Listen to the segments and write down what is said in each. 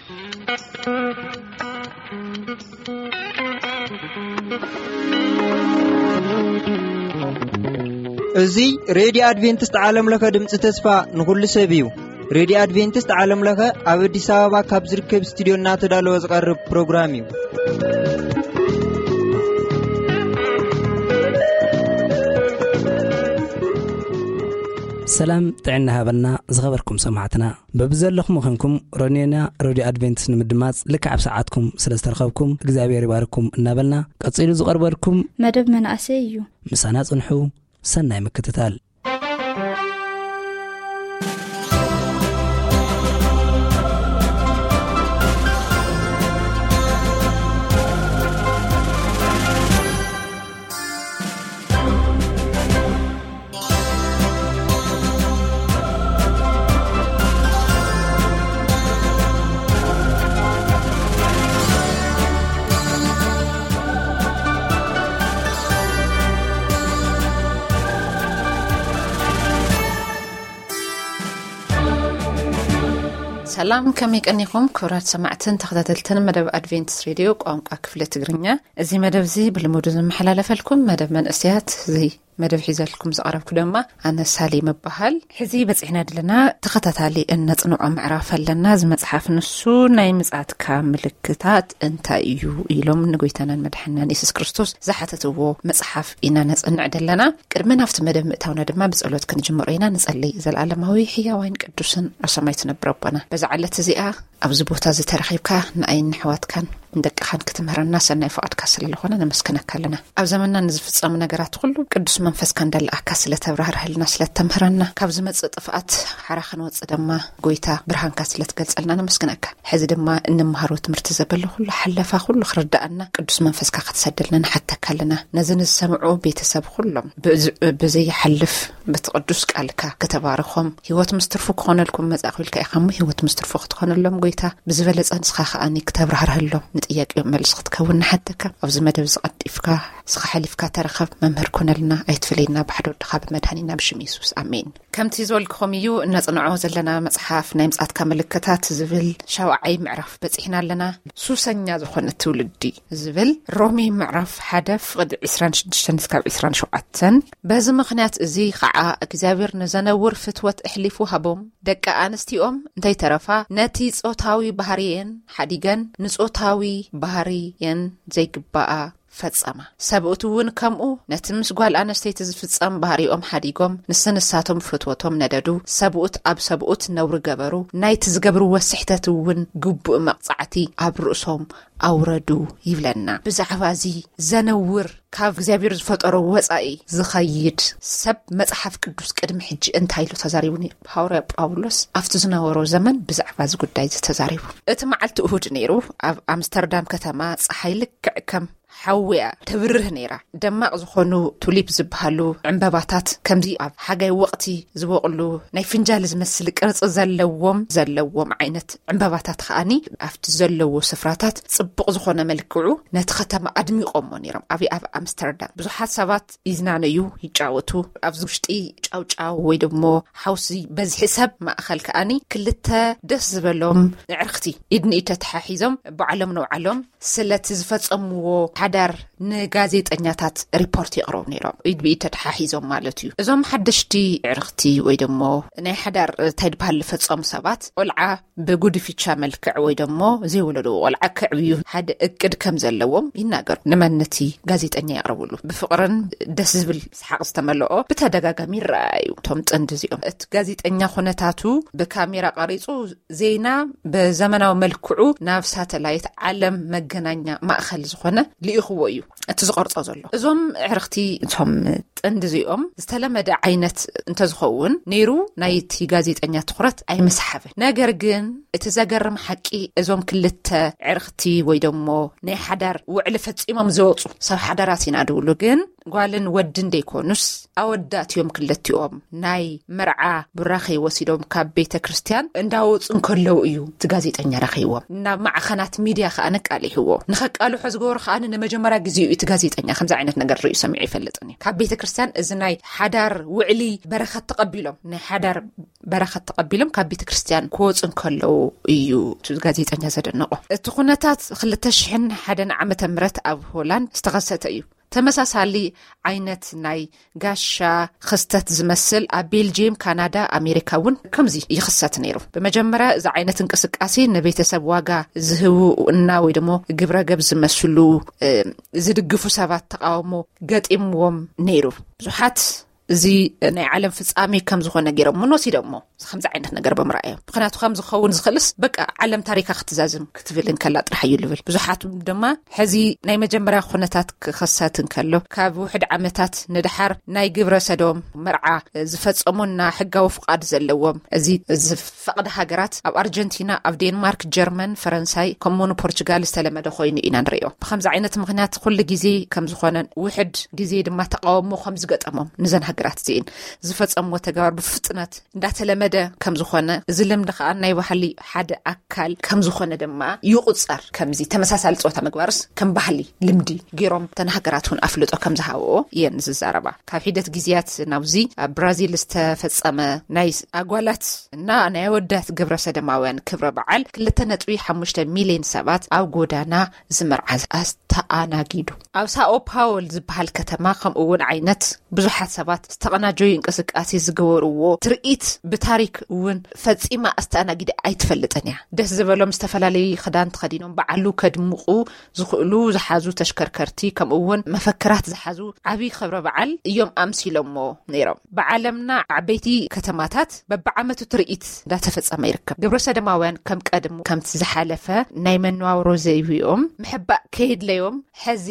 እዚ ሬድዮ ኣድቬንቲስት ዓለም ለኸ ድምፂ ተስፋ ንኹሉ ሰብ እዩ። ሬድዮ ኣድቬንቲስት ዓለም ለኸ ኣብ ኣዲስ ኣበባ ካብ ዝርከብ ስቱዲዮ እናተዳለወ ዝቐርብ ፕሮግራም እዩ። ሰላም ጥዕና ሃበና ዝኸበርኩም ሰማዕትና። በብዘለኹም ኾንኩም ሮኔና ሬድዮ ኣድቬንቲስት ንምድማጽ ልክዕ ኣብ ሰዓትኩም ስለ ዝተረኸብኩም እግዚኣብሔር ይባርኩም እናበልና፣ ቀጺሉ ዝቐርበልኩም መደብ መናእሰይ እዩ። ምሳና ጽንሑ። ሰናይ ምክትታል። ሰላም፣ ከመይ ቀኒኹም ክቡራት ሰማዕትን ተኸታተልትን መደብ ኣድቬንቲስት ሬድዮ ቋንቋ ክፍለ ትግርኛ? እዚ መደብ እዚ ብልሙዱ ዝመሓላለፈልኩም መደብ መንእሰያት እዚ መደብ ሒዘልኩም ዝቐረብኩ ድማ ኣነ ሳሌም እበሃል። ሕዚ በጺሕና ዘለና ተኸታታሊ እነጽንዖ ምዕራፍ ኣለና። እዚ መጽሓፍ ንሱ ናይ ምጽኣትካ ምልክታት እንታይ እዩ ኢሎም ንጎይታናን መድሓናን የሱስ ክርስቶስ ዝሓተትዎ መጽሓፍ ኢና ነጽንዕ ዘለና። ቅድሚ ናብቲ መደብ ምእታውና ድማ ብጸሎት ክንጅምሮ ኢና። ንጸሊ። ዘለዓለማዊ ሕያዋይን ቅዱስን ኣብ ሰማይ ትነብር ኣቦና፣ በዛ ዕለት እዚኣ ኣብዚ ቦታ እዚ ተረኺብካ ንኣይን ንሕዋትካን ንደቅኻን ክትምህረና ሰናይ ፍቓድካ ስለ ዝኾነ ነመስግነካ ኣለና። ኣብ ዘመንና ንዝፍጸሙ ነገራት ኩሉ ቅዱስ መንፈስካ እንዳለኣካ ስለ ተብራህርህልና፣ ስለ ተምህረና፣ ካብ ዝመጽእ ጥፍኣት ሓራ ክንወጽእ ድማ ጎይታ ብርሃንካ ስለ ትገልጸልና ነመስግነካ። ሕዚ ድማ እንመሃሮ ትምህርቲ ዘበለ ኩሉ ሓለፋ ኩሉ ክርዳኣና ቅዱስ መንፈስካ ክትሰደልና ንሓተካ ኣለና። ነዚ ንዝሰምዑ ቤተሰብ ኩሎም ብዝ-፣ ብዘይሓልፍ በቲ ቅዱስ ቃልካ ከተባርኾም፣ ህይወት ምስ ትርፉ ክኾነልኩም መጻእኩ ኢልካ ኢኻ እሞ፣ ህይወት ምስ ትርፉ ክትኾነሎም ጎይታ፣ ብዝበለጸ ንስኻ ከኣኒ ክተብራህርህሎም፣ ንጥያቄኦም መልሲ ክትከውን ንሓተካ። ኣብዚ መደብ ዝቐልጢፍካ፣ ንስኻ ሓሊፍካ ተረኸብ፣ መምህር ኩነልና፣ ኣይትፍለየና፣ ብሓደ ወድኻ ብመድሃኒና ብሽም የሱስ፣ ኣሜን። ከምቲ ዝበልክኹም እዩ፣ እነጽንዖ ዘለና መጽሓፍ ናይ ምጽኣትካ ምልክታት ዝብል ሻውዓይ ምዕራፍ በጺሕና ኣለና። ሱሰኛ ዝኾነ ትውልዲ ዝብል ሮሜ ምዕራፍ ሓደ ፍቕዲ ዕስራን ሽዱሽተን እስካብ ዕስራን ሸውዓተን። በዚ ምኽንያት እዚ ኸዓ እግዚኣብሔር ንዘነውር ፍትወት ኣሕሊፉ ሃቦም። ደቂ ኣንስቲኦም እንተይተረፋ ነቲ ጾታዊ ባህርየን ሓዲገን ንጾታዊ ባህርየን ዘይግባኣ ፈጸማ። ሰብኡት እውን ከምኡ ነቲ ምስ ጓል ኣንስተይቲ ዝፍጸም ባህሪኦም ሓዲጎም ንስንሳቶም ፍትወቶም ነደዱ። ሰብኡት ኣብ ሰብኡት ነውሪ ገበሩ። ናይቲ ዝገብርዎ ስሕተት እውን ግቡእ መቕጻዕቲ ኣብ ርእሶም ኣውረዱ ይብለና። ብዛዕባ እዚ ዘነውር ካብ እግዚኣብሔር ዝፈጠሮ ወጻኢ ዝኸይድ ሰብ መጽሓፍ ቅዱስ ቅድሚ ሕጂ እንታይ ኢሉ ተዛሪቡ ነይሩ? ሃዋርያ ጳውሎስ ኣብቲ ዝነበሮ ዘመን ብዛዕባ እዚ ጉዳይ እዚ ተዛሪቡ። እቲ መዓልቲ እሁድ ነይሩ። ኣብ ኣምስተርዳም ከተማ ጸሓይ ልክዕ ከም ሓውያ ተብርህ ነይራ። ደማቕ ዝኾኑ ቱሊፕ ዝበሃሉ ዕምበባታት፣ ከምዚ ኣብ ሓጋይ ወቕቲ ዝበቕሉ ናይ ፍንጃል ዝመስል ቅርጺ ዘለዎም፣ ዘለዎም ዓይነት ዕምበባታት ከኣኒ ኣብቲ ዘለዎ ስፍራታት ጽቡቕ ዝኾነ መልክዑ ነቲ ከተማ ኣድሚቖሞ ነይሮም። ኣብይ ኣብ ኣምስተርዳም ብዙሓት ሰባት ይዝናነዩ፣ ይጫወቱ። ኣብዚ ውሽጢ ጫውጫው ወይ ደሞ ሓውሲ በዝሒ ሰብ ማእኸል ከኣኒ ክልተ ደስ ዝበሎም ኣዕርኽቲ ኢድ ንኢድ ተተሓሒዞም ባዕሎም ንባዕሎም ስለቲ ዝፈጸምዎ ሓዳር ንጋዜጠኛታት ሪፖርት የቕርቡ ነይሮም። ኢድ ብኢድ ተተሓሒዞም ማለት እዩ። እዞም ሓደሽቲ ኣዕርኽቲ ወይ ደሞ ናይ ሓዳር እንታይ ድበሃል ዝፈጸሙ ሰባት ቆልዓ ብጉድፊቻ መልክዕ ወይ ደሞ ዘይወለድዎ ቆልዓ ከዕብዩ ሓደ እቅድ ከም ዘለዎም ይናገሩ። ንመን? ነቲ ጋዜጠኛ የቕርብሉ። ብፍቕርን ደስ ዝብል ሰሓቕ ዝተመልኦ ብተደጋጋሚ ይረኣዩ እቶም ጥንዲ እዚኦም። እቲ ጋዜጠኛ ኩነታቱ ብካሜራ ቀሪጹ ዜና ብዘመናዊ መልክዑ ናብ ሳተላይት ዓለም መገናኛ ማእኸል ዝኾነ ልኢኽዎ እዩ። እቲ ዝቐርጾ ዘሎ። እዞም ኣዕርኽቲ እቶም ጥንዲ እዚኦም ዝተለመደ ዓይነት እንተዝኸውን ነይሩ ናይቲ ጋዜጠኛ ትኹረት ኣይምስሓበን። ነገር ግን እቲ ዘገርም ሓቂ እዞም ክልተ ኣዕርኽቲ ወይ ደሞ ናይ ሓዳር ውዕሊ ፈጺሞም ዝወጹ ሰብ ሓዳራት ኢና ድብሉ ግን ጓልን ወድን ደይኮኑስ ኣወዳት እዮም። ክልቲኦም ናይ መርዓ ቡራኸ ወሲዶም ካብ ቤተ ክርስቲያን እንዳወፁ እንከለዉ እዩ እቲ ጋዜጠኛ ረኺዎም። ናብ ማዕኸናት ሚድያ ከዓ ነቃሊሕዎ። ንኸቃልሖ ዝገበሩ ከዓ ንመጀመርያ ግዜ እዩ እቲ ጋዜጠኛ ከምዚ ዓይነት ነገር ርእዩ ሰሚዑ ይፈልጥን እዩ። ካብ ቤተ ክርስቲያን እዚ ናይ ሓዳር ውዕሊ በረኸት ተቐቢሎም፣ ናይ ሓዳር በረኸት ተቐቢሎም ካብ ቤተ ክርስቲያን ክወፁ እንከለዉ እዩ እቲ ጋዜጠኛ ዘደነቆ። እቲ ኩነታት ክልተ ሽሕን ሓደን ዓመተ ምህረት ኣብ ሆላንድ ዝተኸሰተ እዩ። ተመሳሳሊ ዓይነት ናይ ጋሻ ክስተት ዝመስል ኣብ ቤልጅየም፣ ካናዳ፣ ኣሜሪካ እውን ከምዚ ይኽሰት ነይሩ። ብመጀመርያ እዚ ዓይነት እንቅስቃሴ ንቤተሰብ ዋጋ ዝህቡ እና ወይ ደሞ ግብረ ገብ ዝመስሉ ዝድግፉ ሰባት ተቃውሞ ገጢምዎም ነይሩ። ብዙሓት እዚ ናይ ዓለም ፍጻሜ ከም ዝኾነ ገይሮም ወሲዶሞ ከምዚ ዓይነት ነገር ብምርኣዮም። ምክንያቱ ከም ዝኸውን ዝኽእልስ በቃ ዓለም ታሪካ ክትዛዝም ክትብል እንከላ ጥራሕ እዩ ልብል። ብዙሓት ድማ ሕዚ ናይ መጀመርያ ኩነታት ክኸሰት እንከሎ ካብ ውሕድ ዓመታት ንድሓር ናይ ግብረ ሰዶም መርዓ ዝፈጸሙና ሕጋዊ ፍቓድ ዘለዎም እዚ ዝፈቕድ ሃገራት ኣብ ኣርጀንቲና፣ ኣብ ዴንማርክ፣ ጀርመን፣ ፈረንሳይ ከምኡውን ፖርቹጋል ዝተለመደ ኮይኑ ኢና ንርእዮ። ብከምዚ ዓይነት ምክንያት ኩሉ ግዜ ከም ዝኾነን ውሕድ ግዜ ድማ ተቃውሞ ከም ዝገጠሞም ንዘን ሃገራት እዚእን ዝፈጸምዎ ተግባር ብፍጥነት እንዳተለመደ ከም ዝኾነ፣ እዚ ልምዲ ከዓ ናይ ባህሊ ሓደ ኣካል ከም ዝኾነ ድማ ይቁጸር። ከምዚ ተመሳሳሊ ጾታ ምግባርስ ከም ባህሊ ልምዲ ገይሮም ተን ሃገራት እውን ኣፍልጦ ከም ዝሃብኦ እየን ዝዛረባ። ካብ ሒደት ግዜያት ናብዚ ኣብ ብራዚል ዝተፈጸመ ናይ ኣጓላት እና ናይ ኣወዳት ግብረ ሰደማውያን ክብረ በዓል ክልተ ነጥቢ ሓሙሽተ ሚልዮን ሰባት ኣብ ጎዳና ዝመርዓ ኣስተኣናጊዱ። ኣብ ሳኦ ፓውል ዝበሃል ከተማ ከምኡ እውን ዓይነት ብዙሓት ሰባት ዝተቐናጀዩ እንቅስቃሴ ዝገበርዎ ትርኢት ብታሪክ እውን ፈጺማ ኣስተኣናጊደ ኣይትፈልጥን እያ። ደስ ዝበሎም ዝተፈላለዩ ክዳን ተኸዲኖም በዓሉ ከድምቑ ዝኽእሉ ዝሓዙ ተሽከርከርቲ ከምኡ እውን መፈክራት ዝሓዙ ዓብዪ ክብረ በዓል እዮም ኣምሲሎሞ ነይሮም። ብዓለምና ዓበይቲ ከተማታት በብዓመቱ ትርኢት እንዳተፈጸመ ይርከብ። ግብረ ሰደማውያን ከም ቀድሙ ከምቲ ዝሓለፈ ናይ መነባብሮ ዘይብኦም ምሕባእ ከየድለዮም ሕዚ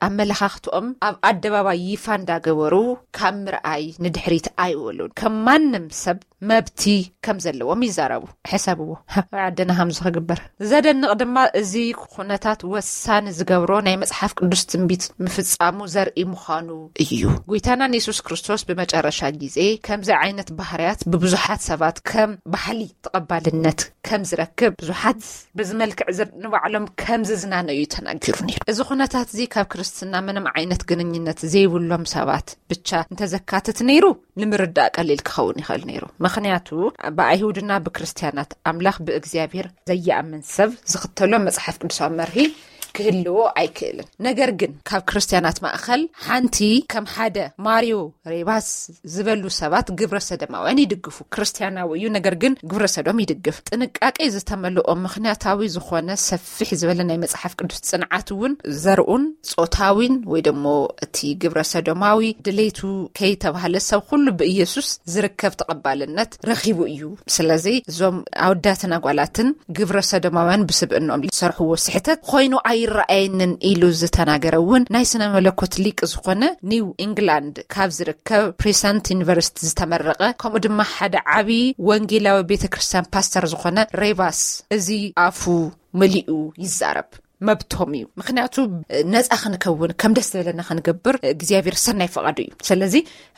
ኣመለኻኽትኦም ኣብ ኣደባባይ ይፋ እንዳገበሩ ካብ ምርኣይ ንድሕሪት ኣይወሉን። ከም ማንም ሰብ መብቲ ከም ዘለዎም ይዛረቡ። ሕሰብዎ፣ ኣብ ዓድና ከምዚ ክግበር ዘደንቕ ድማ እዚ ኩነታት ወሳኒ ዝገብሮ ናይ መጽሓፍ ቅዱስ ትንቢት ምፍጻሙ ዘርኢ ምዃኑ እዩ። ጎይታናን የሱስ ክርስቶስ ብመጨረሻ ግዜ ከምዚ ዓይነት ባህርያት ብብዙሓት ሰባት ከም ባህሊ ተቐባልነት ከም ዝረክብ፣ ብዙሓት በዚ መልክዕ ዝር-፣ ንባዕሎም ከም ዝዝናነዩ ተናጊሩ ነይሩ። እዚ ኩነታት እዚ ካብ ክርስትና ምንም ዓይነት ግንኙነት ዘይብሎም ሰባት ብቻ እንተዘካትት ነይሩ ንምርዳእ ቀሊል ክኸውን ይኽእል ነይሩ። ምኽንያቱ ብኣይሁድና ብክርስትያናት ኣምላኽ ብእግዚኣብሔር ዘይኣምን ሰብ ዝኽተሎ መጽሓፍ ቅዱሳዊ መርሂ ክህልዎ ኣይክእልን። ነገር ግን ካብ ክርስትያናት ማእኸል ሓንቲ ከም ሓደ ማሪዮ ሬባስ ዝበሉ ሰባት ግብረ ሰደማውያን ይድግፉ። ክርስትያናዊ እዩ፣ ነገር ግን ግብረ ሰዶም ይድግፍ። ጥንቃቄ ዝተመልኦ ምኽንያታዊ ዝኾነ ሰፊሕ ዝበለ ናይ መጽሓፍ ቅዱስ ጽንዓት እውን ዘርኡን ጾታዊን ወይ ደሞ እቲ ግብረ ሰዶማዊ ድሌቱ ከይተባህለ ሰብ ኩሉ ብኢየሱስ ዝርከብ ተቐባልነት ረኺቡ እዩ። ስለዚ እዞም ኣወዳትን ኣጓላትን ግብረ ሰዶማውያን ብስብእኖም ዝሰርሕዎ ስሕተት ኮይኑ ኣይረኣየንን ኢሉ ዝተናገረ እውን ናይ ስነ መለኮት ሊቅ ዝኾነ ኒው ኢንግላንድ ካብ ዝርከብ ፕሪሰንት ዩኒቨርሲቲ ዝተመረቐ ከምኡ ድማ ሓደ ዓብዪ ወንጌላዊ ቤተ ክርስቲያን ፓስተር ዝኾነ ሬባስ እዚ ኣፉ መሊኡ ይዛረብ። መብቶም እዩ። ምክንያቱ ነፃ ክንከውን ከም ደስ ዝበለና ክንገብር እግዚኣብሔር ሰናይ ፈቓዱ እዩ። ስለዚ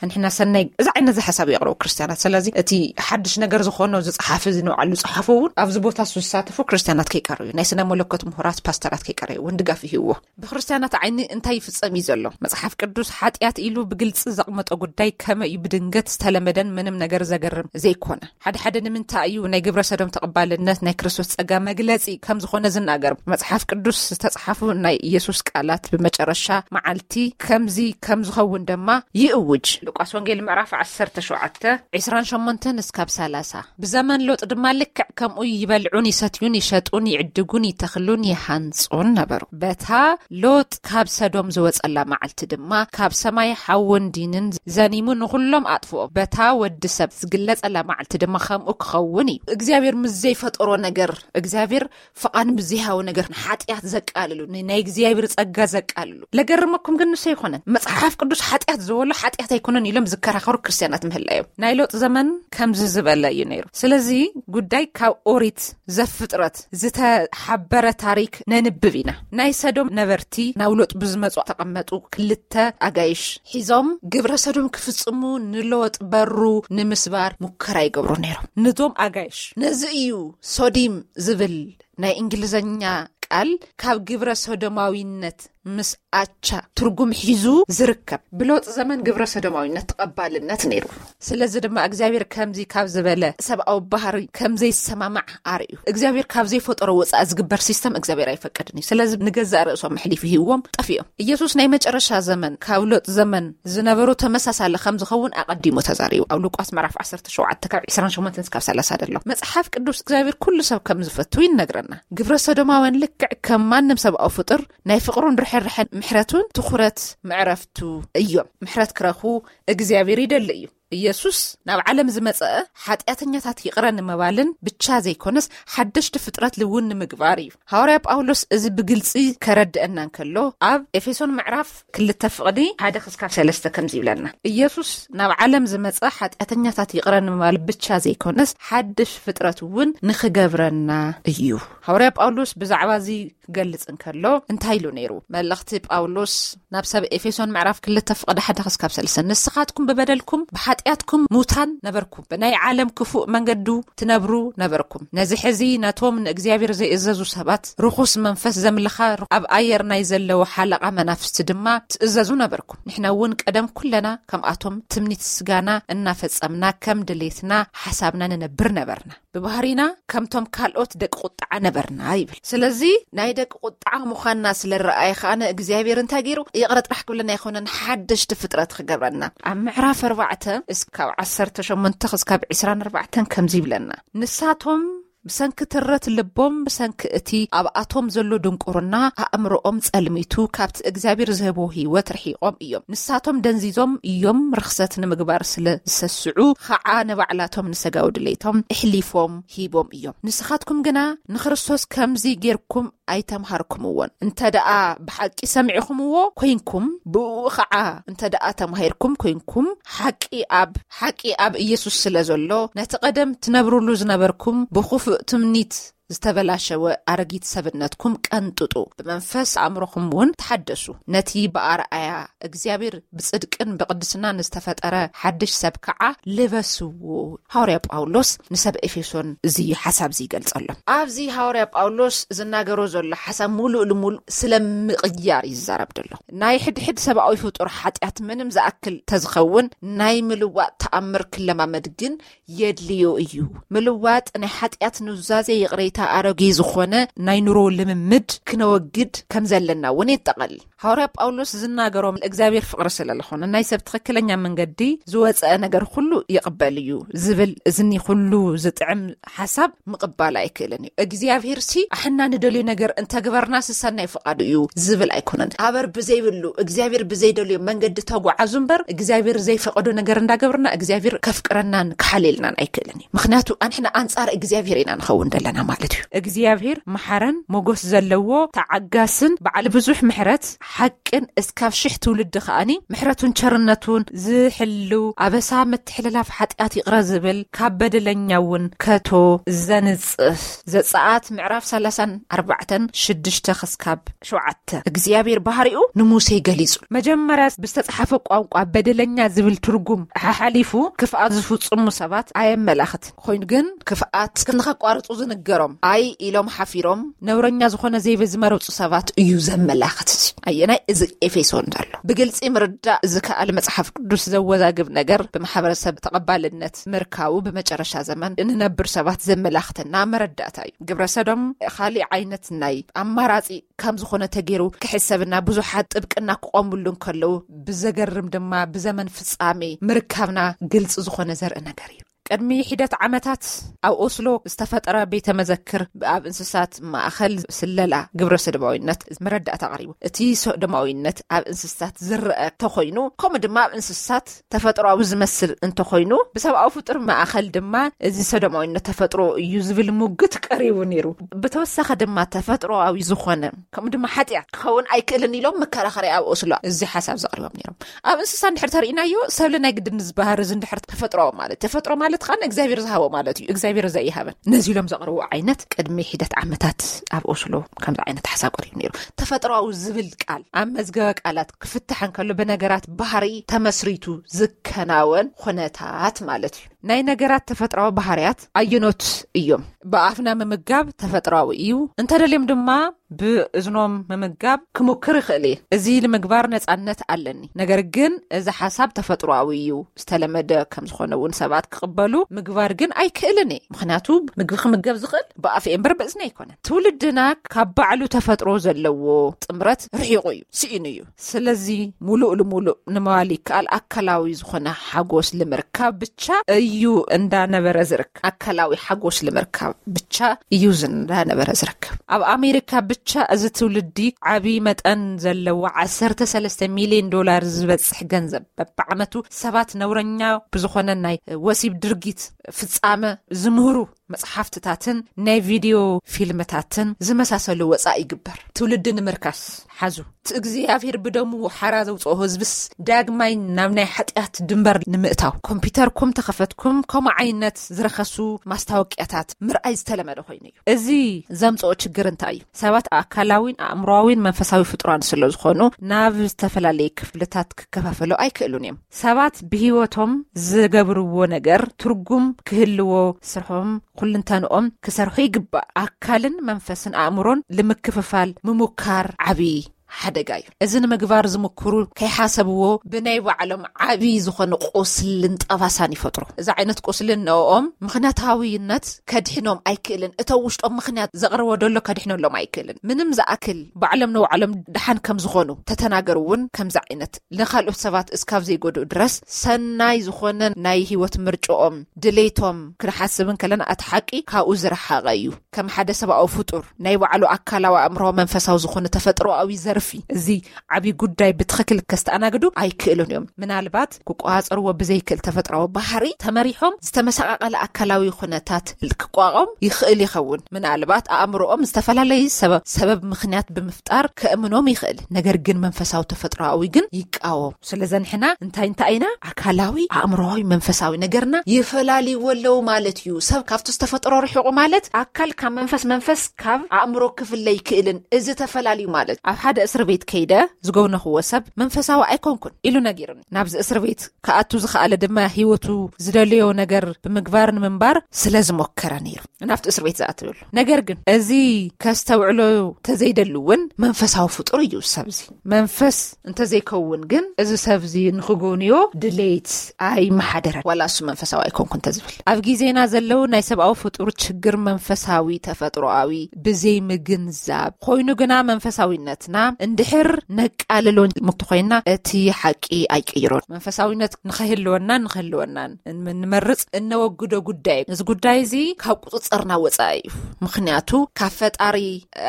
ንሕና ሰናይ እዚ ዓይነት ዝሓሳብ የቕረቡ ክርስትያናት። ስለዚ እቲ ሓድሽ ነገር ዝኾኖ ዝፀሓፊ እዚ ንባዕሉ ፀሓፉ እውን ኣብዚ ቦታ እሱ ዝሳተፉ ክርስትያናት ከይቀረዩ፣ ናይ ስነ መለኮት ምሁራት ፓስተራት ከይቀረዩ እውን ድጋፍ ይህብዎ። ብክርስትያናት ዓይኒ እንታይ ይፍጸም እዩ ዘሎ? መጽሓፍ ቅዱስ ሓጢኣት ኢሉ ብግልጺ ዘቕመጦ ጉዳይ ከመይ እዩ ብድንገት ዝተለመደን ምንም ነገር ዘገርም ዘይኮነ? ሓደ ሓደ ንምንታይ እዩ ናይ ግብረ ሰዶም ተቐባልነት ናይ ክርስቶስ ጸጋ መግለጺ ከም ዝኾነ ዝናገር? መጽሓፍ ቅዱስ ዝተጽሓፉ ናይ ኢየሱስ ቃላት ብመጨረሻ መዓልቲ ከምዚ ከም ዝኸውን ድማ ይእውጅ። ሉቃስ ወንጌል ምዕራፍ ዓሰርተ ሸውዓተ፣ ዕስራን ሸሞንተን እስካብ ሰላሳ። ብዘመን ሎጥ ድማ ልክዕ ከምኡ ይበልዑን ይሰትዩን ይሸጡን ይዕድጉን ይተኽሉን ይሃንጹን ነበሩ። በታ ሎጥ ካብ ሰዶም ዝወጸላ መዓልቲ ድማ ካብ ሰማይ ሓውን ዲንን ዘኒሙ ንኹሎም ኣጥፍኦም። በታ ወዲ ሰብ ዝግለጸላ መዓልቲ ድማ ከምኡ ክኸውን እዩ። እግዚኣብሔር ምስ ዘይፈጠሮ ነገር፣ እግዚኣብሔር ፍቓድ ምስ ዘይሃቦ ነገር ንሓጢኣት ዘቃልሉ፣ ን-፣ ናይ እግዚኣብሔር ጸጋ ዘቃልሉ። ለገርመኩም ግን ንሱ ኣይኮነን። መጽሓፍ ቅዱስ ሓጢኣት ዝበሎ ሓጢኣት ኣይኮነን ኢሎም ዝከራኸሩ ክርስትያናት ምህላዮም። ናይ ሎጥ ዘመን ከምዚ ዝበለ እዩ ነይሩ። ስለዚ ጉዳይ ካብ ኦሪት ዘፍጥረት ዝተሓበረ ታሪክ ነንብብ ኢና። ናይ ሰዶም ነበርቲ ናብ ሎጥ ብዝመጹ ተቐመጡ ክልተ ኣጋይሽ ሒዞም ግብረ ሰዶም ክፍጽሙ ንሎጥ በሩ ንምስባር ሙከራ ይገብሩ ነይሮም። ነዞም ኣጋይሽ ነዚ እዩ ሶዲም ዝብል ናይ እንግሊዝኛ ቃል ካብ ግብረ ሰዶማዊነት ምስ ኣቻ ትርጉም ሒዙ ዝርከብ። ብሎጥ ዘመን ግብረ ሰዶማዊነት ተቐባልነት ነይሩ። ስለዚ ድማ እግዚኣብሔር ከምዚ ካብ ዝበለ ሰብኣዊ ባህሪ ከም ዘይሰማማዕ ኣርእዩ። እግዚኣብሔር ካብ ዘይፈጠሮ ወፃኢ ዝግበር ሲስተም እግዚኣብሔር ኣይፈቅድን እዩ። ስለዚ ንገዛእ ርእሶም ኣሕሊፉ ሂብዎም ጠፊኦም። ኢየሱስ ናይ መጨረሻ ዘመን ካብ ሎጥ ዘመን ዝነበሩ ተመሳሳሊ ከም ዝኸውን ኣቐዲሙ ተዛሪቡ። ኣብ ሉቃስ ምዕራፍ ዓሰርተ ሸውዓተ ካብ ዕስራን ሸሞንተን እስካብ ሰላሳ ዘሎ መጽሓፍ ቅዱስ እግዚኣብሔር ኩሉ ሰብ ከም ዝፈቱ ይነግረና። ግብረ ሰዶማውያን ልክዕ ከም ማንም ሰብኣዊ ፍጡር ናይ ፍቕሩን ርሕርሕን ምሕረቱን ትኹረት መዕረፍቱ እዮም። ምሕረት ክረኽቡ እግዚኣብሔር ይደሊ እዩ። ኢየሱስ ናብ ዓለም ዝመጸ ሓጢኣተኛታት ይቕረ ንምባልን ብቻ ዘይኮነስ ሓደሽቲ ፍጥረት ልውን ንምግባር እዩ። ሃዋርያ ጳውሎስ እዚ ብግልጺ ከረድአና እንከሎ ኣብ ኤፌሶን ምዕራፍ ክልተ ፍቕዲ ሓደ ክስካብ ሰለስተ ከምዚ ይብለና። ኢየሱስ ናብ ዓለም ዝመጸ ሓጢኣተኛታት ይቕረ ንምባል ብቻ ዘይኮነስ ሓድሽ ፍጥረት እውን ንኽገብረና እዩ። ሃዋርያ ጳውሎስ ብዛዕባ እዚ ክገልጽ እንከሎ እንታይ ኢሉ ነይሩ? መልእኽቲ ጳውሎስ ናብ ሰብ ኤፌሶን ምዕራፍ ክልተ ፍቕዲ ሓደ ክስካብ ሰለስተ፣ "ንስኻትኩም ብበደልኩም ብሓጢኣትኩም ሙታን ነበርኩም፣ ብናይ ዓለም ክፉእ መንገዱ ትነብሩ ነበርኩም። ነዚ ሕዚ ነቶም ንእግዚኣብሔር ዘይእዘዙ ሰባት ርኹስ መንፈስ ዘምልኻ ኣብ ኣየር ናይ ዘለዉ ሓለቓ መናፍስቲ ድማ ትእዘዙ ነበርኩም። ንሕና እውን ቀደም ኩለና ከምኣቶም ትምኒት ስጋና እናፈጸምና ከም ድሌትና ሓሳብና ንነብር ነበርና። ብባህሪና ከምቶም ካልኦት ደቂ ቁጥዓ ነበርና" ይብል። ስለዚ ናይ ደቂ ቁጥዓ ምዃንና ስለ ረኣየ ከኣ ንእግዚኣብሔር እንታይ ገይሩ? ይቕረ ጥራሕ ክብለና ኣይኮነን፣ ሓደሽቲ ፍጥረት ክገብረና። ኣብ ምዕራፍ ኣርባዕተ እስካብ ዓሰርተ ሸሞንተ ክስካብ ዕስራን ኣርባዕተን ከምዚ ይብለና፣ "ንሳቶም ብሰንኪ ትረት ልቦም፣ ብሰንኪ እቲ ኣብኣቶም ዘሎ ድንቁርና ኣእምሮኦም ጸልሚቱ፣ ካብቲ እግዚኣብሔር ዝህቦ ህይወት ርሒቖም እዮም። ንሳቶም ደንዚዞም እዮም፣ ርኽሰት ንምግባር ስለ ዝሰስዑ ኸዓ ንባዕላቶም ንሰጋዊ ድሌቶም እሕሊፎም ሂቦም እዮም። ንስኻትኩም ግና ንክርስቶስ ከምዚ ጌርኩም ኣይተምሃርኩምዎን። እንተ ደኣ ብሓቂ ሰሚዕኹምዎ ኮይንኩም፣ ብእኡ ኸዓ እንተ ደኣ ተማሂርኩም ኮይንኩም፣ ሓቂ ኣብ፣ ሓቂ ኣብ ኢየሱስ ስለ ዘሎ፣ ነቲ ቀደም ትነብሩሉ ዝነበርኩም ብኽፉእ ትምኒት ዝተበላሸወ ኣረጊት ሰብነትኩም ቀንጥጡ፣ ብመንፈስ ኣእምሮኹም እውን ተሓደሱ። ነቲ ብኣርኣያ እግዚኣብሔር ብጽድቅን ብቕድስናን ዝተፈጠረ ሓድሽ ሰብ ከኣ ልበስዎ።" ሃዋርያ ጳውሎስ ንሰብ ኤፌሶን እዚ ሓሳብ እዚ ይገልጸሎም። ኣብዚ ሃዋርያ ጳውሎስ ዝናገሮ ዘሎ ሓሳብ ሙሉእ ልሙሉእ ስለ ምቕያር እዩ ዝዛረብ ዘሎ። ናይ ሕድሕድ ሰብኣዊ ፍጡር ሓጢኣት ምንም ዝኣክል ተዝኸውን ናይ ምልዋጥ ተኣምር ክለማመድ ግን የድልዮ እዩ። ምልዋጥ ናይ ሓጢኣት ኑዛዜ ይቕሬታ ኣሮጌ ዝኾነ ናይ ኑሮ ልምምድ ክነወግድ ከም ዘለና እውን የጠቓልል። ሃዋርያ ጳውሎስ ዝናገሮም እግዚኣብሔር ፍቕሪ ስለ ዝኾነ ናይ ሰብ ትኽክለኛ መንገዲ ዝወፀአ ነገር ኩሉ ይቕበል እዩ ዝብል እዝኒ ኩሉ ዝጥዕም ሓሳብ ምቕባል ኣይክእልን እዩ። እግዚኣብሔር ሲ ኣሕና ንደልዮ ነገር እንተግበርና ሲ ሰናይ ፍቓዱ እዩ ዝብል ኣይኮነን። ኣበር ብዘይብሉ እግዚኣብሔር ብዘይደልዮ መንገዲ ተጓዓዙ እምበር እግዚኣብሔር ዘይፈቐዶ ነገር እንዳገብርና እግዚኣብሔር ከፍቅረናን ክሓልየልናን ኣይክእልን እዩ። ምኽንያቱ ኣንሕና ኣንጻር እግዚኣብሔር ኢና ንኸውን ዘለና ማለት እዩ። እግዚኣብሔር መሓረን ሞጎስ ዘለዎ ተዓጋስን በዓል ብዙሕ ምሕረት ሓቅን እስካብ ሽሕ ትውልዲ ከኣኒ ምሕረቱን ቸርነቱን ዝሕልው ኣበሳ ምትሕልላፍ ሓጢኣት ይቕረ ዝብል ካብ በደለኛ እውን ከቶ ዘንጽህ ዘጸኣት ምዕራፍ ሰላሳን ኣርባዕተን ሽዱሽተ ክስካብ ሸውዓተ እግዚኣብሔር ባህሪኡ ንሙሴ ገሊጹ። መጀመርያ ብዝተጻሓፈ ቋንቋ በደለኛ ዝብል ትርጉም ሓሓሊፉ ክፍኣት ዝፍጽሙ ሰባት ኣየመላኽት ኮይኑ ግን ክፍኣት ንኸቋርጹ ዝንገሮም ኣይ ኢሎም ሓፊሮም ነውረኛ ዝኾነ ዘይበ ዝመረጹ ሰባት እዩ ዘመላኽት። ኣየናይ እዚ ኤፌሶን ዘሎ ብግልጺ ምርዳእ ዝከኣል መጽሓፍ ቅዱስ ዘወዛግብ ነገር ብማሕበረሰብ ተቐባልነት ምርካቡ ብመጨረሻ ዘመን እንነብር ሰባት ዘመላኽተና መረዳእታ እዩ። ግብረ ሰዶም ካሊእ ዓይነት ናይ ኣማራጺ ከም ዝኾነ ተገይሩ ክሕሰብና ብዙሓት ጥብቅና ክቖምሉ እንከለዉ ብዘገርም ድማ ብዘመን ፍጻሜ ምርካብና ግልጺ ዝኾነ ዘርኢ ነገር እዩ። ቅድሚ ሒደት ዓመታት ኣብ ኦስሎ ዝተፈጠረ ቤተ መዘክር ኣብ እንስሳት ማእኸል ስለላ ግብረ ሰዶማዊነት መረዳእታ ኣቕሪቡ። እቲ ሰዶማዊነት ኣብ እንስሳት ዝረአ እንተኾይኑ፣ ከምኡ ድማ ኣብ እንስሳት ተፈጥሮኣዊ ዝመስል እንተኾይኑ፣ ብሰብኣዊ ፍጡር ማእኸል ድማ እዚ ሰዶማዊነት ተፈጥሮ እዩ ዝብል ሙግት ቀሪቡ ነይሩ። ብተወሳኺ ድማ ተፈጥሮኣዊ ዝኾነ ከምኡ ድማ ሓጢኣት ክኸውን ኣይክእልን ኢሎም መከራኸሪ ኣብ ኦስሎ እዚ ሓሳብ ዘቕሪቦም ነይሮም። ኣብ እንስሳ እንድሕር ተርእናዮ፣ ሰብሊ ናይ ግድን ዝበሃር እዚ እንድሕር ተፈጥሮኣዊ ማለት፣ ተፈጥሮ ማለት ኸዓ እግዚኣብሔር ዝሃቦ ማለት እዩ። እግዚኣብሔር ዘይሃበን ነዚ ኢሎም ዘቕርቡ ዓይነት ቅድሚ ሒደት ዓመታት ኣብ ኦስሎ ከምዚ ዓይነት ሓሳብ ቀሪቡ ነይሩ። ተፈጥሮኣዊ ዝብል ቃል ኣብ መዝገበ ቃላት ክፍትሕ እንከሎ፣ ብነገራት ባህሪ ተመስሪቱ ዝከናወን ኩነታት ማለት እዩ። ናይ ነገራት ተፈጥሮኣዊ ባህርያት ኣየኖት እዮም? ብኣፍና ምምጋብ ተፈጥሮኣዊ እዩ። እንተደልዮም ድማ ብእዝኖም ምምጋብ ክሙክር ይኽእል እየ። እዚ ንምግባር ነጻነት ኣለኒ። ነገር ግን እዚ ሓሳብ ተፈጥሮኣዊ እዩ፣ ዝተለመደ ከም ዝኾነ እውን ሰባት ክቕበሉ ምግባር ግን ኣይክእልን እየ። ምኽንያቱ ምግቢ ክምገብ ዝኽእል ብኣፍ እምበር ብእዝኒ ኣይኮነን። ትውልድና ካብ ባዕሉ ተፈጥሮ ዘለዎ ጥምረት ርሒቑ እዩ፣ ስኢኑ እዩ። ስለዚ ሙሉእ ልሙሉእ ንምባል ይከኣል ኣካላዊ ዝኾነ ሓጎስ ልምርካብ ብቻ እዩ እንዳነበረ ዝርከብ። ኣካላዊ ሓጎስ ልምርካብ ብቻ እዩ እንዳነበረ ዝርከብ። ኣብ ኣሜሪካ ብቻ እዚ ትውልዲ ዓቢ መጠን ዘለዎ ዓሰርተ ሰለስተ ሚልዮን ዶላር ዝበጽሕ ገንዘብ በብዓመቱ ሰባት ነውረኛ ብዝኾነ ናይ ወሲብ ድርጊት ፍጻመ ዝምህሩ መጽሓፍትታትን ናይ ቪድዮ ፊልምታትን ዝመሳሰሉ ወጻኢ ይግበር። ትውልዲ ንምርካስ ሓዙ። እቲ እግዚኣብሔር ብደሙ ሓራ ዘውፅኦ ህዝብስ ዳግማይ ናብ ናይ ሓጢኣት ድንበር ንምእታው ኮምፒውተርኩም ተኸፈትኩም ከምኡ ዓይነት ዝረኸሱ ማስታወቂያታት ምርኣይ ዝተለመደ ኮይኑ እዩ። እዚ ዘምፅኦ ችግር እንታይ እዩ? ሰባት ኣካላዊን ኣእምሮኣዊን መንፈሳዊ ፍጡራን ስለ ዝኾኑ ናብ ዝተፈላለየ ክፍልታት ክከፋፈሉ ኣይክእሉን እዮም። ሰባት ብህይወቶም ዝገብርዎ ነገር ትርጉም ክህልዎ ስርሖም ኩልንተንኦም ክሰርሑ ይግባእ። ኣካልን መንፈስን ኣእምሮን ልምክፍፋል ምሙካር ዓብዪ ሓደጋ እዩ። እዚ ንምግባር ዝምክሩ ከይሓሰብዎ ብናይ ባዕሎም ዓብዪ ዝኾነ ቁስልን ጠባሳን ይፈጥሩ። እዚ ዓይነት ቁስልን ንኦም ምኽንያታዊነት ከድሕኖም ኣይክእልን። እቶ ውሽጦም ምኽንያት ዘቕርቦ ደሎ ከድሕነሎም ኣይክእልን። ምንም ዝኣክል ባዕሎም ንባዕሎም ደሓን ከም ዝኾኑ ተተናገሩ እውን ከምዚ ዓይነት ንኻልኦት ሰባት እስካብ ዘይጎድኡ ድረስ ሰናይ ዝኾነ ናይ ህይወት ምርጭኦም፣ ድሌቶም ክንሓስብ እንከለና እቲ ሓቂ ካብኡ ዝረሓቐ እዩ። ከም ሓደ ሰብኣዊ ፍጡር ናይ ባዕሉ ኣካላዊ፣ ኣእምሮዊ፣ መንፈሳዊ ዝኾነ ተፈጥሮኣዊ ዘርፊ እዚ ዓብዪ ጉዳይ ብትኽክል ከስተኣናግዱ ኣይክእሉን እዮም። ምናልባት ክቆጻጸርዎ ብዘይክእል ተፈጥሮኣዊ ባህሪ ተመሪሖም ዝተመሰቓቐለ ኣካላዊ ኩነታት ክቋቋም ይኽእል ይኸውን። ምናልባት ኣእምሮኦም ዝተፈላለየ ሰበብ፣ ሰበብ ምኽንያት ብምፍጣር ከእምኖም ይኽእል። ነገር ግን መንፈሳዊ ተፈጥሮኣዊ ግን ይቃወም። ስለዚ ንሕና እንታይ እንታይ ኢና? ኣካላዊ፣ ኣእምሮዊ፣ መንፈሳዊ ነገርና ይፈላልይዎ ኣለዉ ማለት እዩ። ሰብ ካብቲ ዝተፈጥሮ ርሒቑ ማለት ኣካል ካብ መንፈስ፣ መንፈስ ካብ ኣእምሮ ክፍለ ይክእልን። እዚ ተፈላልዩ ማለት ኣብ ሓደ እስር ቤት ከይደ ዝጎብነኽዎ ሰብ መንፈሳዊ ኣይኮንኩን ኢሉ ነጊሩኒ። ናብዚ እስር ቤት ክኣቱ ዝኸኣለ ድማ ህይወቱ ዝደለዮ ነገር ብምግባር ንምንባር ስለ ዝሞከረ ነይሩ ናብቲ እስር ቤት ዝኣትወሉ። ነገር ግን እዚ ከስተውዕሎ ተዘይደሉ እውን መንፈሳዊ ፍጡር እዩ ሰብዚ። መንፈስ እንተዘይከውን ግን እዚ ሰብዚ ንኽጎንዮ ድሌት ኣይመሓደረን። ዋላ እሱ መንፈሳዊ ኣይኮንኩ እንተዝብል። ኣብ ግዜና ዘለዉ ናይ ሰብኣዊ ፍጡር ችግር መንፈሳዊ ተፈጥሮኣዊ ብዘይምግንዛብ ኮይኑ ግና መንፈሳዊነትና እንድሕር ነቃልሎ ምክንያት ኮይና እቲ ሓቂ ኣይቅይሮን። መንፈሳዊነት ንኸህልወናን ንኸህልወናን ንመርጽ እነወግዶ ጉዳይ። እዚ ጉዳይ እዚ ካብ ቁጽጽርና ወጻኢ እዩ። ምኽንያቱ ካብ ፈጣሪ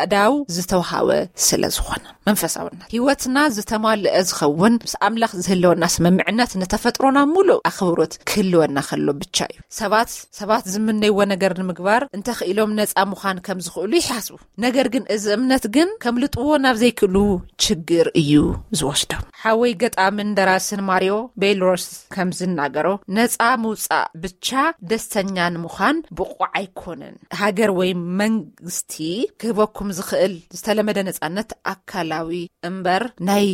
ኣዳው ዝተውሃበ ስለ ዝኾነ። መንፈሳውነት ህይወትና ዝተማልአ ዝኸውን ምስ ኣምላኽ ዝህልወና ስምምዕነት ንተፈጥሮና ሙሉእ ኣኽብሮት ክህልወና ከሎ ብቻ እዩ። ሰባት፣ ሰባት ዝምነይዎ ነገር ንምግባር እንተኽኢሎም ነፃ ምዃን ከም ዝኽእሉ ይሓስቡ። ነገር ግን እዚ እምነት ግን ከምልጥዎ ናብ ዘይክእሉ ችግር እዩ ዝወስዶም። ሓወይ ገጣምን ደራስን ማሪዮ ቤልሮስ ከም ዝናገሮ፣ ነፃ ምውፃእ ብቻ ደስተኛ ንምዃን ብቑዕ ኣይኮነን። ሃገር ወይ መንግስቲ ክህበኩም ዝኽእል ዝተለመደ ነፃነት ኣካላዊ እምበር ናይ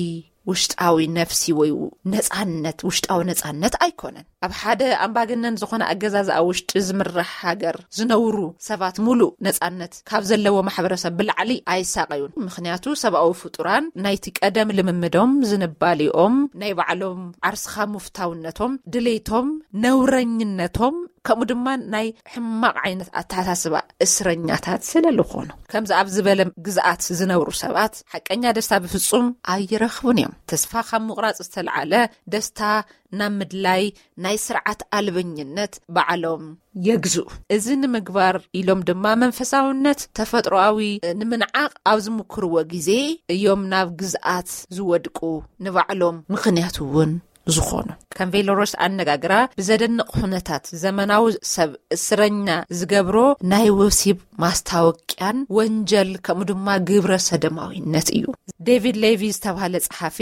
ውሽጣዊ ነፍሲ ወይ ነፃነት፣ ውሽጣዊ ነፃነት ኣይኮነን። ኣብ ሓደ ኣምባገነን ዝኾነ ኣገዛዝኣ ውሽጢ ዝምራሕ ሃገር ዝነብሩ ሰባት ሙሉእ ነፃነት ካብ ዘለዎ ማሕበረሰብ ብላዕሊ ኣይሳቐዩን። ምኽንያቱ ሰብኣዊ ፍጡራን ናይቲ ቀደም ልምምዶም፣ ዝንባሌኦም፣ ናይ ባዕሎም ዓርስኻ ሙፍታውነቶም፣ ድሌቶም፣ ነውረኝነቶም፣ ከምኡ ድማ ናይ ሕማቕ ዓይነት ኣተሓሳስባ እስረኛታት ስለ ዝኾኑ። ከምዚ ኣብ ዝበለ ግዝኣት ዝነብሩ ሰባት ሓቀኛ ደስታ ብፍጹም ኣይረኽቡን እዮም። ተስፋ ካብ ምቑራጽ ዝተልዓለ ደስታ ናብ ምድላይ ናይ ስርዓት ኣልበኝነት ባዕሎም የግዝኡ። እዚ ንምግባር ኢሎም ድማ መንፈሳውነት ተፈጥሮኣዊ ንምንዓቕ ኣብ ዝምክርዎ ግዜ እዮም ናብ ግዝኣት ዝወድቁ፣ ንባዕሎም ምኽንያት እውን ዝኾኑ። ከም ቬሎሮስ ኣነጋግራ ብዘደንቕ ኩነታት ዘመናዊ ሰብ እስረኛ ዝገብሮ ናይ ወሲብ ማስታወቅያን ወንጀል ከምኡ ድማ ግብረ ሰደማዊነት እዩ። ዴቪድ ሌቪ ዝተባህለ ጸሓፊ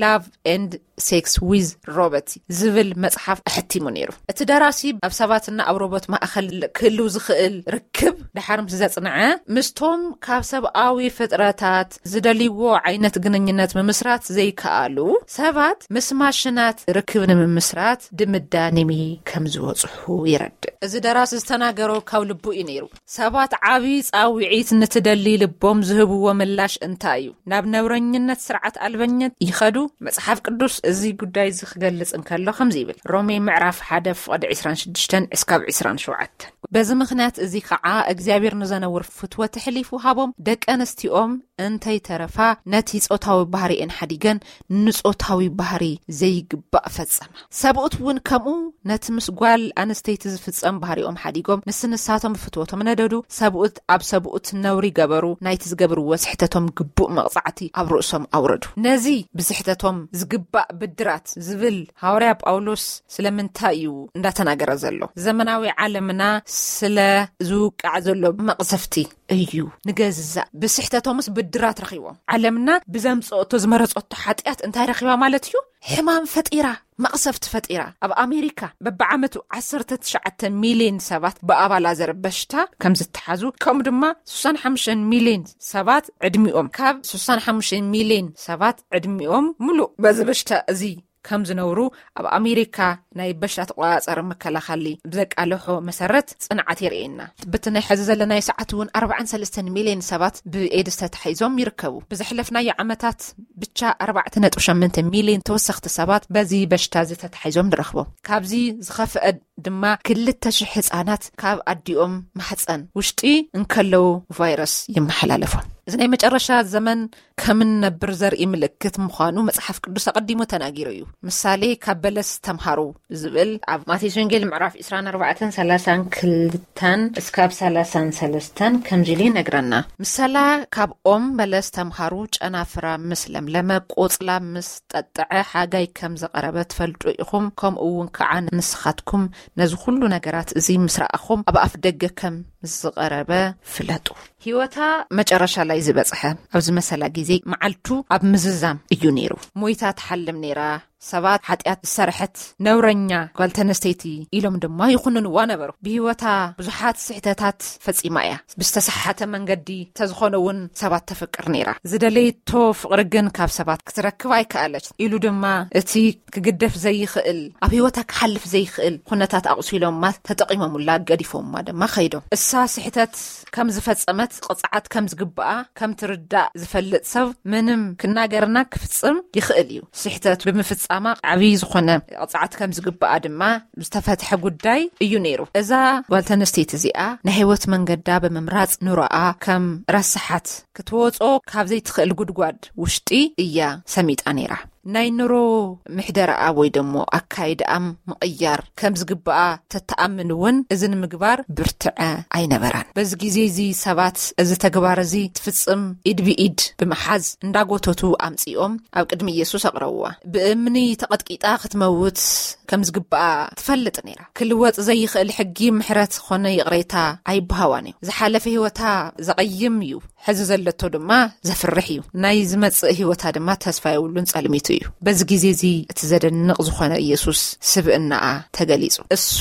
ላቭ ኤንድ ሴክስ ዊዝ ሮበርት ዝብል መጽሓፍ ኣሕቲሙ ነይሩ። እቲ ደራሲ ኣብ ሰባትና ኣብ ሮቦት ማእኸል ክህልው ዝኽእል ርክብ ድሓር ምስ ዘጽንዐ፣ ምስቶም ካብ ሰብኣዊ ፍጥረታት ዝደልይዎ ዓይነት ግንኙነት ምምስራት ዘይከኣሉ ሰባት ምስ ማሽናት ርክብ ንምምስራት ድምዳኔ ከም ዝበጽሑ ይረድእ። እዚ ደራሲ ዝተናገሮ ካብ ልቡ እዩ ነይሩ። ሰባት ዓቢ ጻውዒት ንትደሊ ልቦም ዝህብዎ ምላሽ እንታይ እዩ? ናብ ነውረኝነት ስርዓት ኣልበኝነት ይኸዱ? መጽሓፍ ቅዱስ እዚ ጉዳይ እዚ ክገልጽ እንከሎ ከምዚ ይብል፣ ሮሜ ምዕራፍ ሓደ ፍቕዲ ዕስራን ሽዱሽተን እስካብ ዕስራን ሸውዓተን። በዚ ምኽንያት እዚ ከዓ እግዚኣብሔር ንዘነውር ፍትወ ተሕሊፉ ሃቦም። ደቂ ኣንስቲኦም እንተይተረፋ ነቲ ጾታዊ ባህሪኤን ሓዲገን ንጾታዊ ባህሪ ዘይግባእ ፈጸማ። ሰብኡት እውን ከምኡ ነቲ ምስ ጓል ኣንስተይቲ ዝፍጸም ባህሪኦም ሓዲጎም ንስንሳቶም ብፍትወቶም ነደዱ። ሰብኡት ኣብ ሰብኡት ነውሪ ገበሩ፣ ናይቲ ዝገብርዎ ስሕተቶም ግቡእ መቕጻዕቲ ኣብ ርእሶም ኣውረዱ። ነዚ ብስሕተቶም ዝግባእ ብድራት ዝብል ሃዋርያ ጳውሎስ ስለምንታይ እዩ እንዳተናገረ ዘሎ? ዘመናዊ ዓለምና ስለ ዝውቃዕ ዘሎ መቕሰፍቲ እዩ። ንገዛእ ብስሕተቶምስ ብድራት ረኺቦም። ዓለምና ብዘምጽኦቶ ዝመረጸቶ ሓጢኣት እንታይ ረኺባ ማለት እዩ? ሕማም ፈጢራ፣ መቕሰፍቲ ፈጢራ። ኣብ ኣሜሪካ በብዓመቱ ዓሰርተ ትሽዓተ ሚልዮን ሰባት ብኣባላዘር በሽታ ከም ዝተሓዙ፣ ከምኡ ድማ ስሳን ሓሙሽተን ሚልዮን ሰባት ዕድሚኦም፣ ካብ ስሳን ሓሙሽተን ሚልዮን ሰባት ዕድሚኦም ሙሉእ በዚ በሽታ እዚ ከም ዝነብሩ ኣብ ኣሜሪካ ናይ በሽታ ተቆጻጸሪ መከላኸሊ ብዘቃለሖ መሰረት ጽንዓት የርእየና። ብቲ ናይ ሕዚ ዘለናዮ ሰዓት እውን ኣርባዓን ሰለስተን ሚልዮን ሰባት ብኤድስ ተታሒዞም ይርከቡ። ብዘሕለፍናዮ ዓመታት ብቻ ኣርባዕተ ነጥቢ ሸሞንተ ሚልዮን ተወሰኽቲ ሰባት በዚ በሽታ እዚ ተታሒዞም ንረኽቦም። ካብዚ ዝኸፍአ ድማ ክልተ ሽሕ ህጻናት ካብ ኣዲኦም ማሕጸን ውሽጢ እንከለዉ ቫይረስ ይመሓላለፎም። እዚ ናይ መጨረሻ ዘመን ከም እንነብር ዘርኢ ምልክት ምዃኑ መጽሓፍ ቅዱስ ኣቐዲሙ ተናጊሩ እዩ። ምሳሌ ካብ በለስ ተምሃሩ ዝብል ኣብ ማቴዎስ ወንጌል ምዕራፍ ዕስራን ኣርባዕተን ሰላሳን ክልተን እስካብ ሰላሳን ሰለስተን ከምዚ ኢሉ ይነግረና። ምሰላ ካብ ኦም በለስ ተምሃሩ፣ ጨናፍራ ምስ ለምለመ፣ ቆጽላ ምስ ጠጥዐ፣ ሓጋይ ከም ዝቐረበ ትፈልጡ ኢኹም፣ ከምኡ እውን ከዓ ንስኻትኩም ነዚ ኩሉ ነገራት እዚ ምስ ረኣኹም ኣብ ኣፍ ደገ ከም ዝቐረበ ፍለጡ። ህይወታ መጨረሻ ላይ ዝበጽሐ ኣብ ዝመሰላ ግዜ መዓልቱ ኣብ ምዝዛም እዩ ነይሩ። ሞይታ ትሓልም ነይራ። ሰባት ሓጢኣት ዝሰርሐት ነውረኛ ጓል ተነስተይቲ ኢሎም ድማ ይኹንንዋ ነበሩ። ብህይወታ ብዙሓት ስሕተታት ፈጺማ እያ። ብዝተሰሓተ መንገዲ እንተዝኾነ እውን ሰባት ተፍቅር ነይራ። ዝደለየቶ ፍቕሪ ግን ካብ ሰባት ክትረክብ ኣይከኣለች። ኢሉ ድማ እቲ ክግደፍ ዘይኽእል፣ ኣብ ህይወታ ክሓልፍ ዘይኽእል ኩነታት ኣቑሲሎማ፣ ተጠቒሞሙላ፣ ገዲፎማ ድማ ኸይዶም። እሳ ስሕተት ከም ዝፈጸመት፣ ቅጽዓት ከም ዝግብኣ ከም ትርዳእ ዝፈልጥ ሰብ ምንም ክናገርና ክፍጽም ይኽእል እዩ። ስሕተት ብምፍጻማ ዓብዪ ዝኾነ ቅጽዓት ከም ዝግብኣ ድማ ዝተፈትሐ ጉዳይ እዩ ነይሩ። እዛ ጓል ተነስተይቲ እዚኣ ናይ ህይወት መንገዳ ብምምራጽ ኑሮኣ ከም ረሳሓት ክትወጾ ካብ ዘይትኽእል ጉድጓድ ውሽጢ እያ ሰሚጣ ነይራ። ናይ ኑሮ ምሕደራኣ ወይ ደሞ ኣካይዳኣ ምቕያር ከም ዝግብኣ ተተኣምን እውን እዚ ንምግባር ብርትዐ ኣይነበራን። በዚ ግዜ እዚ ሰባት እዚ ተግባር እዚ ትፍጽም ኢድ ብኢድ ብምሓዝ እንዳጎተቱ ኣምጺኦም ኣብ ቅድሚ ኢየሱስ ኣቕረብዋ። ብእምኒ ተቐጥቂጣ ክትመውት ከም ዝግብኣ ትፈልጥ ነይራ። ክልወጥ ዘይኽእል ሕጊ ምሕረት ኾነ ይቕሬታ ኣይበሃዋን እዩ። ዝሓለፈ ህይወታ ዘቐይም እዩ። ሕዚ ዘለቶ ድማ ዘፍርሕ እዩ። ናይ ዝመጽእ ህይወታ ድማ ተስፋ የብሉን፣ ጸልሚቱ እዩ። በዚ ግዜ እዚ እቲ ዘደንቕ ዝኾነ ኢየሱስ ስብእናኣ ተገሊጹ። እሱ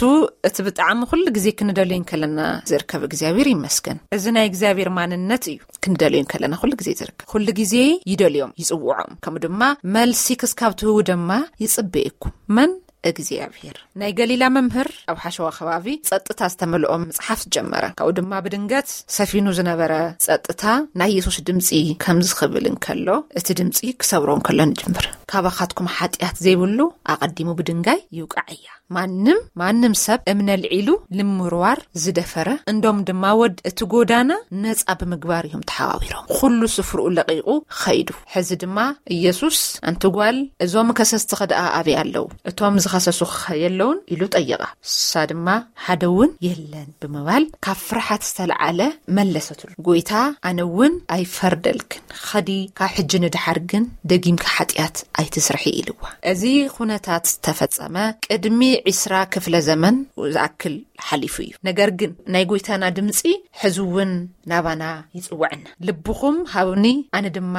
እቲ ብጣዕሚ ኩሉ ግዜ ክንደልዮ እንከለና ዝርከብ እግዚኣብሔር ይመስገን። እዚ ናይ እግዚኣብሔር ማንነት እዩ። ክንደልዮ እንከለና ኩሉ ግዜ ዝርከብ። ኩሉ ግዜ ይደልዮም፣ ይጽውዖም። ከምኡ ድማ መልሲ ክስካብ ትህቡ ድማ ይጽበየኩም። መን እግዚኣብሔር። ናይ ገሊላ መምህር ኣብ ሓሸዋ ከባቢ ጸጥታ ዝተመልኦ መጽሓፍ ጀመረ። ካብኡ ድማ ብድንገት ሰፊኑ ዝነበረ ጸጥታ ናይ የሱስ ድምጺ ከምዚ ክብል እንከሎ፣ እቲ ድምጺ ክሰብሮ እንከሎ ንጅምር። ካባኻትኩም ሓጢኣት ዘይብሉ ኣቐዲሙ ብድንጋይ ይውቃዕ እያ። ማንም ማንም ሰብ እምነ ልዒሉ ንምርዋር ዝደፈረ፣ እንዶም ድማ ወድ እቲ ጎዳና ነጻ ብምግባር እዮም ተሓዋዊሮም። ኩሉ ስፍርኡ ለቒቑ ኸይዱ። ሕዚ ድማ ኢየሱስ፣ ኣንቲ ጓል፣ እዞም ከሰስቲ ከደኣ ኣበይ ኣለዉ? እቶም ዝኸሰሱኸ የለውን? ኢሉ ጠየቓ። እሳ ድማ፣ ሓደ እውን የለን ብምባል ካብ ፍርሓት ዝተለዓለ መለሰትሉ። ጎይታ፣ ኣነ እውን ኣይፈርደልክን። ኸዲ ካብ ሕጂ ንድሓር ግን ደጊምካ ሓጢኣት ኣይትስርሒ ኢልዋ። እዚ ኩነታት ዝተፈጸመ ቅድሚ ዒስራ ክፍለ ዘመን ዝኣክል ሓሊፉ እዩ። ነገር ግን ናይ ጎይታና ድምጺ ሕዚ እውን ናባና ይጽውዐና። ልብኹም ሃብኒ፣ ኣነ ድማ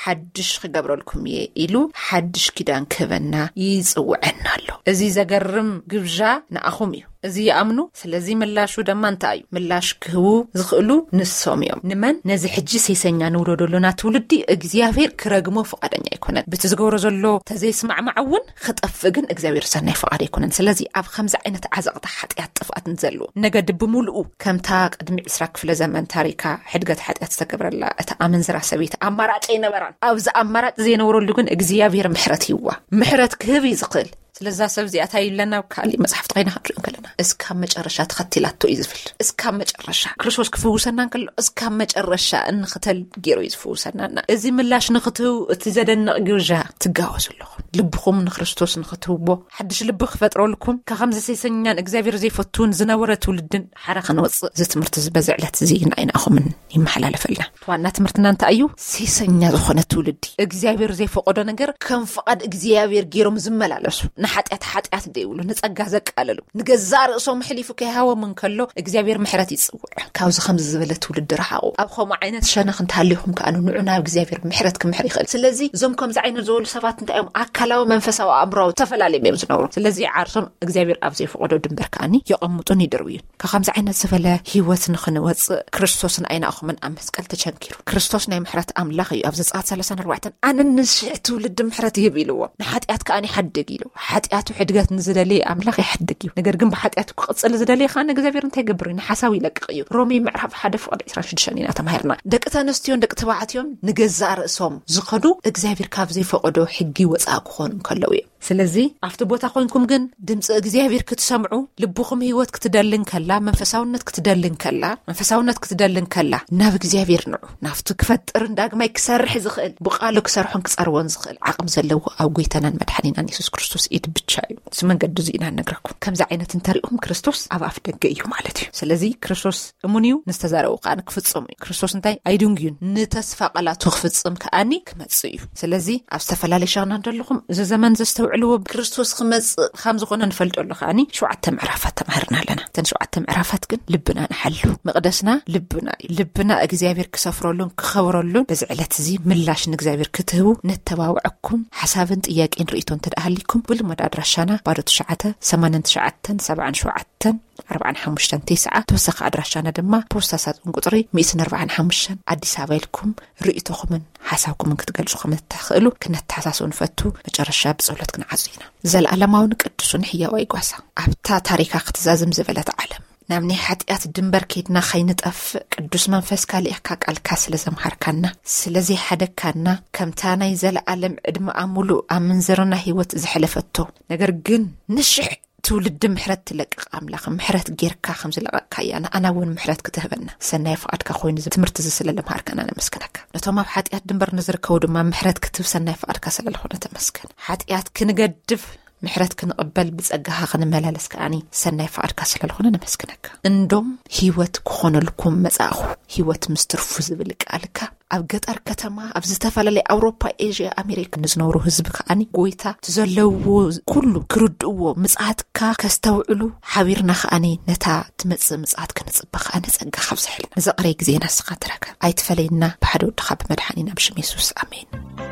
ሓድሽ ክገብረልኩም እየ ኢሉ ሓድሽ ኪዳን ክህበና ይጽውዐና ኣሎ። እዚ ዘገርም ግብዣ ንኣኹም እዩ። እዚ ይኣምኑ። ስለዚ ምላሹ ድማ እንታይ እዩ? ምላሽ ክህቡ ዝኽእሉ ንሶም እዮም። ንመን? ነዚ ሕጂ ሴሰኛ ንውለደሉና ትውልዲ እግዚኣብሔር ክረግሞ ፍቓደኛ ኣይኮነን። ብቲ ዝገብሮ ዘሎ ተዘይስማዕማዕ እውን ክጠፍእ ግን እግዚኣብሔር ሰናይ ፍቓድ ኣይኮነን። ስለዚ ኣብ ከምዚ ዓይነት ዓዘቕታ ሓጢኣት ጥፍኣት ንዘለዎ ነገድ ብምሉኡ ከምታ ቅድሚ ዒስራ ክፍለ ዘመን ታሪካ ሕድገት ሓጢኣት ዝተገብረላ እታ ኣመንዝራ ሰበይቲ ኣማራጭ ኣይነበራን። ኣብዚ ኣማራጭ ዘይነበረሉ ግን እግዚኣብሔር ምሕረት ይዋ ምሕረት ክህብ እዩ ዝኽእል። ስለዛ ሰብ እዚኣ እንታይ ይብለና? ኣብ ካሊእ መጽሓፍቲ ከይና ክንሪኦ ከለና፣ እስካብ መጨረሻ ተኸቲላቶ እዩ ዝብል። እስካብ መጨረሻ ክርስቶስ ክፍውሰና እንከሎ እስካብ መጨረሻ እንኽተል ገይሩ እዩ ዝፍውሰናና። እዚ ምላሽ ንኽትህቡ እቲ ዘደንቕ ግብዣ ትጋወዙ ኣለኹም። ልብኹም ንክርስቶስ ንኽትህብዎ ሓድሽ ልቢ ክፈጥረልኩም፣ ካብ ከምዚ ሴሰኛን እግዚኣብሔር ዘይፈትውን ዝነበረ ትውልድን ሓራ ክንወፅእ እዚ ትምህርቲ እዚ በዚ ዕለት እዚ ንዓይናኹምን ይመሓላለፈልና። ዋና ትምህርትና እንታይ እዩ? ሴሰኛ ዝኾነ ትውልዲ፣ እግዚኣብሔር ዘይፈቀዶ ነገር ከም ፍቓድ እግዚኣብሔር ገይሮም ዝመላለሱ፣ ንሓጢኣት ሓጢኣት ዘይብሉ፣ ንጸጋ ዘቃለሉ፣ ንገዛእ ርእሶም ሕሊፉ ከይሃቦም እንከሎ እግዚኣብሔር ምሕረት ይጽውዕ። ካብዚ ከምዚ ዝበለ ትውልዲ ረሓቑ። ኣብ ከምኡ ዓይነት ሸነኽ እንተሃሊኹም ከኣ ንዑ ናብ እግዚኣብሔር ምሕረት ክምሕር ይኽእል። ስለዚ እዞም ከምዚ ዓይነት ዝበሉ ሰባት እንታይ እዮም? ኣካላዊ፣ መንፈሳዊ፣ ኣእምራዊ ተፈላለዮም እዮም ዝነብሩ። ስለዚ ዓርሶም እግዚኣብሔር ኣብ ዘይፈቀዶ ድንበር ከኣኒ የቐምጡን ይድርብዩን። ካብ ከምዚ ዓይነት ዝበለ ህይወት ንኽንወፅእ ክርስቶስ ንዓይናኹምን ኣብ መስቀል ተቸንኪሩ። ክርስቶስ ናይ ምሕረት ኣምላኽ እዩ። ኣብ ዘጸኣት ሰላሳን ኣርባዕተን ኣነ ንሽሕ ትውልዲ ምሕረት ይህብ ኢልዎ። ንሓጢኣት ከኣ ይሓድግ ኢሉ። ሓጢኣቱ ሕድገት ንዝደሊ ኣምላኽ ይሓድግ እዩ። ነገር ግን ብሓጢኣቱ ክቕጽል ዝደሊ ከኣ ንእግዚኣብሔር እንታይ ይገብር እዩ? ንሓሳቡ ይለቅቕ እዩ። ሮሜ ምዕራፍ ሓደ ፍቕዲ ዕስራን ሽዱሽተን ኢና ተማሂርና። ደቂ ተንስትዮን ደቂ ተባዕትዮን ንገዛእ ርእሶም ዝኸዱ እግዚኣብሔር ካብ ዘይፈቐዶ ሕጊ ወጻኢ ክኾኑ እንከለዉ እዮም። ስለዚ ኣብቲ ቦታ ኮይንኩም ግን ድምፂ እግዚኣብሔር ክትሰምዑ ልብኹም ህይወት ክትደልን ከላ መንፈሳውነት ክትደልን ከላ መንፈሳውነት ክትደልን ከላ ናብ እግዚኣብሔር ንዑ። ናብቲ ክፈጥርን ዳግማይ ክሰርሕ ዝኽእል ብቃሉ ክሰርሖን ክጸርቦን ዝኽእል ዓቕም ዘለዎ ኣብ ጎይታናን መድሓኒናን የሱስ ክርስቶስ ኢድ ብቻ እዩ። እዚ መንገዲ እዚ ኢና ንነግረኩም። ከምዚ ዓይነት እንተሪእኹም ክርስቶስ ኣብ ኣፍ ደገ እዩ ማለት እዩ። ስለዚ ክርስቶስ እሙን እዩ፣ ንዝተዛረቡ ከኣ ክፍጽም እዩ። ክርስቶስ እንታይ ኣይድንጉዩን፣ ንተስፋ ቃላቱ ክፍጽም ከኣኒ ክመጽእ እዩ። ስለዚ ኣብ ዝተፈላለየ ሸና እንደለኹም እዚ ዘመን ዘስተውዕልዎ ክርስቶስ ክመጽእ ከም ዝኾነ ንፈልጦ ኣሎ። ከኣኒ ሸውዓተ ምዕራፋት ተማሂርና ኣለና። እተን ሸውዓተ ምዕራፋት ግን ልብና ንሓሉ። መቕደስና ልብና እዩ። ልብና እግዚኣብሔር ክሰፍረሉን ክኸብረሉን በዚ ዕለት እዚ ምላሽ ንእግዚኣብሔር ክትህቡ ነተባብዐኩም። ሓሳብን ጥያቄን ርእይቶ እንተ ደኣ ሃሊኩም ብልሙድ ኣድራሻና ባዶ ትሽዓተ ሰማንያን ትሽዓተን ሰብዓን ሸውዓተን ኣርባዓን ሓሙሽተን ተስዓ፣ ተወሳኺ ኣድራሻና ድማ ፖስታ ሳጥን ቁጽሪ ሚእትን ኣርባዓን ሓሙሽተን ኣዲስ ኣበባ ኢልኩም ርእይቶኹምን ሓሳብኩምን ክትገልጹ ከም እትኽእሉ ክነተሓሳስቡ ንፈቱ። መጨረሻ ብጸሎት ክንዓጹ ኢና። ዘለኣለማውን ቅዱስን ሕያዋይ ጓሳ፣ ኣብታ ታሪኻ ክትዛዝም ዝበለት ዓለም ናብ ናይ ሓጢኣት ድንበር ከይድና ከይንጠፍእ ቅዱስ መንፈስካ ልኢኽካ ቃልካ ስለ ዘምሃርካና፣ ስለ ዘይሓደግካና፣ ከምታ ናይ ዘለኣለም ዕድመኣ ሙሉእ ኣብ ምንዝርና ህይወት ዘሕለፈቶ፣ ነገር ግን ንሽሕ ትውልዲ ምሕረት ትለቅቕ ኣምላኽ፣ ምሕረት ጌርካ ከም ዝለቐቕካያ ንኣና እውን ምሕረት ክትህበና ሰናይ ፍቓድካ ኮይኑ እዚ ትምህርቲ እዚ ስለ ለምሃርከና ነመስግነካ። ነቶም ኣብ ሓጢኣት ድንበር ንዝርከቡ ድማ ምሕረት ክትህብ ሰናይ ፍቓድካ ስለ ዝኾነ ተመስገን። ሓጢኣት ክንገድፍ ምሕረት ክንቕበል ብጸጋኻ ክንመላለስ ከኣኒ ሰናይ ፍቓድካ ስለ ዝኾነ ነመስግነካ። እንዶም ህይወት ክኾነልኩም መጻእኹ፣ ህይወት ምስ ትርፉ ዝብል ቃልካ ኣብ ገጠር ከተማ፣ ኣብ ዝተፈላለየ ኣውሮፓ፣ ኤዥያ፣ ኣሜሪካ ንዝነብሩ ህዝቢ ከኣኒ ጎይታ እቲ ዘለዎ ኩሉ ክርድእዎ፣ ምጽኣትካ ከስተውዕሉ ሓቢርና ከኣኒ ነታ ትመጽእ ምጽኣት ክንጽበ ከኣኒ ጸጋ ካብዝሐልና። ንዘቕረይ ግዜና ንስኻ ተረከብ። ኣይትፈለየና፣ ብሓደ ወድኻ ብመድሓኒና ብሽም የሱስ ኣሜን።